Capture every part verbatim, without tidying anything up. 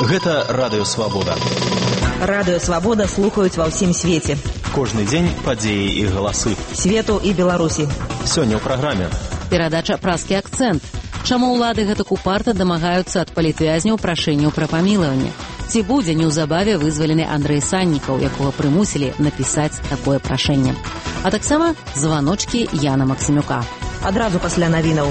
Гэта Радыё Свабода. Радыё Свабода слухаюць ва ўсім свеце. Кожны дзень падзеі і галасы. Свету і Беларусі. Сёння ў праграме. Перадача «Празкі акцэнт». Чаму ўлады гэтак упарта дамагаюцца ад палітвязняў прашэнняў пра памілаванне? Ці будзе неўзабаве вызвалены Андрэй Саннікаў, якога прымусілі напісаць такое прашэнне? А таксама званочкі Яна Максімюка. Адразу пасля навінаў.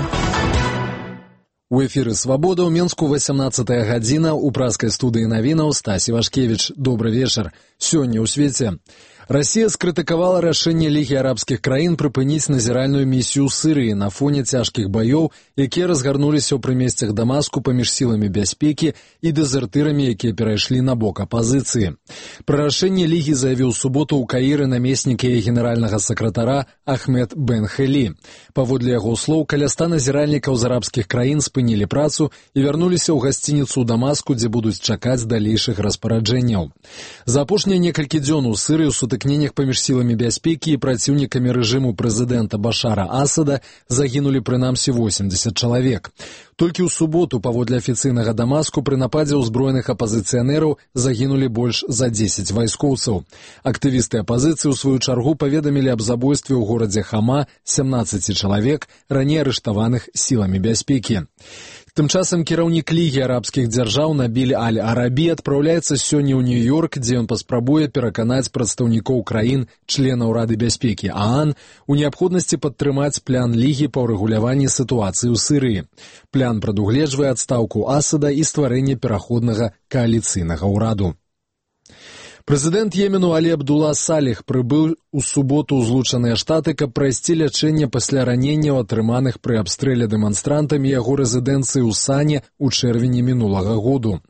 У эфіры «Свабода» ў Менску васямнаццатая гадзіна, у празкай студыі навінаў Стасі Вашкевіч. Добры вечар. Сёння ў свеце. Расія скрытыкавала рашэнне Лігі арабскіх краін прыпыніць назіральную місію ў Сірыі на фоне цяжкіх баёў, якія разгарнуліся ў прымесцях Дамаску паміж сіламі бяспекі і дэзертырамі, якія перайшлі на бок апазіцыі. Пра рашэнне Лігі заявіў суботу ў Каіры намеснік яе генеральнага сакратара Ахмед бен Хелі. Паводле яго слоў, каля ста назіральнікаў з арабскіх краін спынілі працу і вярнуліся ў гасцініцу ў Дамаску, дзе будуць чакаць далейшых распараджэнняў. За апошнія некалькі дзён у Сірыі ў сутыкненнях паміж сіламі бяспекі і праціўнікамі рэжыму прэзідэнта Башара Асада загінулі прынамсі восемдзесят чалавек. Толькі ў суботу, паводле афіцыйнага Дамаску, пры нападзе ўзброеных апазіцыянераў загінулі больш за дзесяць вайскоўцаў. Актывісты апазіцыі ў сваю чаргу паведамілі аб забойстве ў горадзе Хама сямнаццаці чалавек, раней арыштаваных сіламі бяспекі. Тым часам кіраўнік Лігі арабскіх дзяржаў Набіль Аль-Арабі адпраўляецца сёння ў Нью-Йорк, дзе ён паспрабуе пераканаць прадстаўнікоў краін, членаў Рады бяспекі ААН, у неабходнасці падтрымаць план Лігі па ўрэгуляванні сітуацыі ў Сірыі. План прадугледжвае адстаўку Асада і стварэнне пераходнага кааліцыйнага ўраду. Прэзідэнт Йемену Алі Абдула Саліх прыбыў у суботу ў Злучаныя Штаты, каб прайсці лячэнне пасля раненняў, атрыманых пры абстрэле дэманстрантамі яго рэзідэнцыі ў Сане ў чэрвені мінулага году.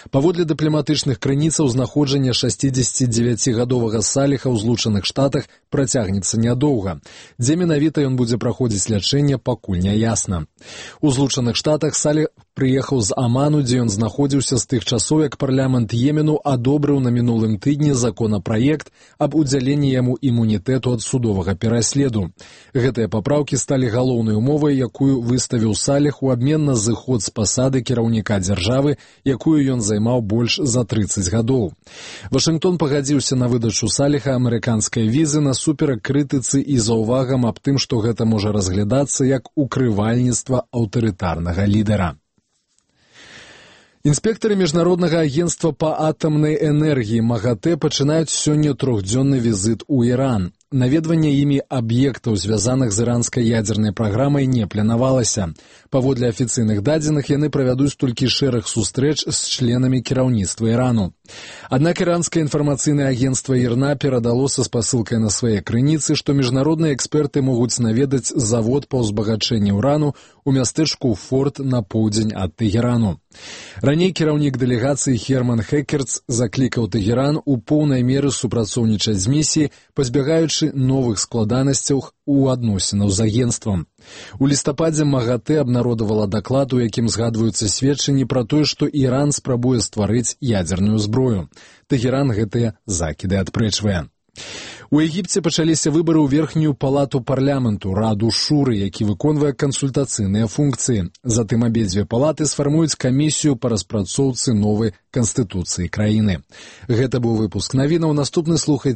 Паводле дыпламатычных крыніцаў, знаходжанне шасцідзесяцідзевяцігадовага Саліха ў Злучаных Штатах працягнецца нядоўга. Дзе менавіта ён будзе праходзіць лячэнне, пакуль не ясна. У Злучаных Штатах Саліх прыехаў з Аману, дзе ён знаходзіўся з тых часоў, як парламент Йемену адобрыў на мінулым тыдні законапраект аб удзяленні яму імунітэту ад судовага пераследу. Гэтыя папраўкі сталі галоўнай умовай, якую выставіў Саліх у абмен на зыход з пасады кіраўніка дзяржавы, якую ён займаў больш за трыццаць гадоў. Вашынгтон пагадзіўся на выдачу Саліха амерыканскай візы насуперак крытыцы і заўвагам аб тым, што гэта можа разглядацца як укрывальніцтва аўтарытарнага лідара. Інспектары Міжнароднага агентства па атамнай энергіі МАГАТЭ пачынаюць сёння трохдзённы візіт у Іран. Наведванне імі аб'ектаў, звязаных з іранскай ядзернай праграмай, не планавалася. Паводле афіцыйных дадзеных, яны правядуць толькі шэраг сустрэч з членамі кіраўніцтва Ірану. Аднак іранскае інфармацыйнае агентства ІРНА перадало са спасылкай на свае крыніцы, што міжнародныя эксперты могуць наведаць завод па ўзбагачэнні ўрану у мястэчку Форт на поўдзень ад Тэгерану. Раней кіраўнік дэлегацыі Херман Хекерц заклікаў Тэгеран у поўнай меры супрацоўнічаць з місіяй, пазбягаючы новых складанасцяў у адносінаў з агентствам. У лістападзе МАГАТЭ абнародавала даклад, у якім згадваюцца сведчанні пра тое, што Іран спрабуе стварыць ядзерную зброю. Тэгеран гэтыя закіды адпрэчвае. У Егіпце пачаліся выбары ў верхнюю палату парламенту, раду Шуры, які выконвае кансультацыйныя функцыі. Затым абедзве палаты сфармуюць камісію па распрацоўцы новай канстытуцыі краіны. Гэта быў выпуск навінаў. Наступны слухайце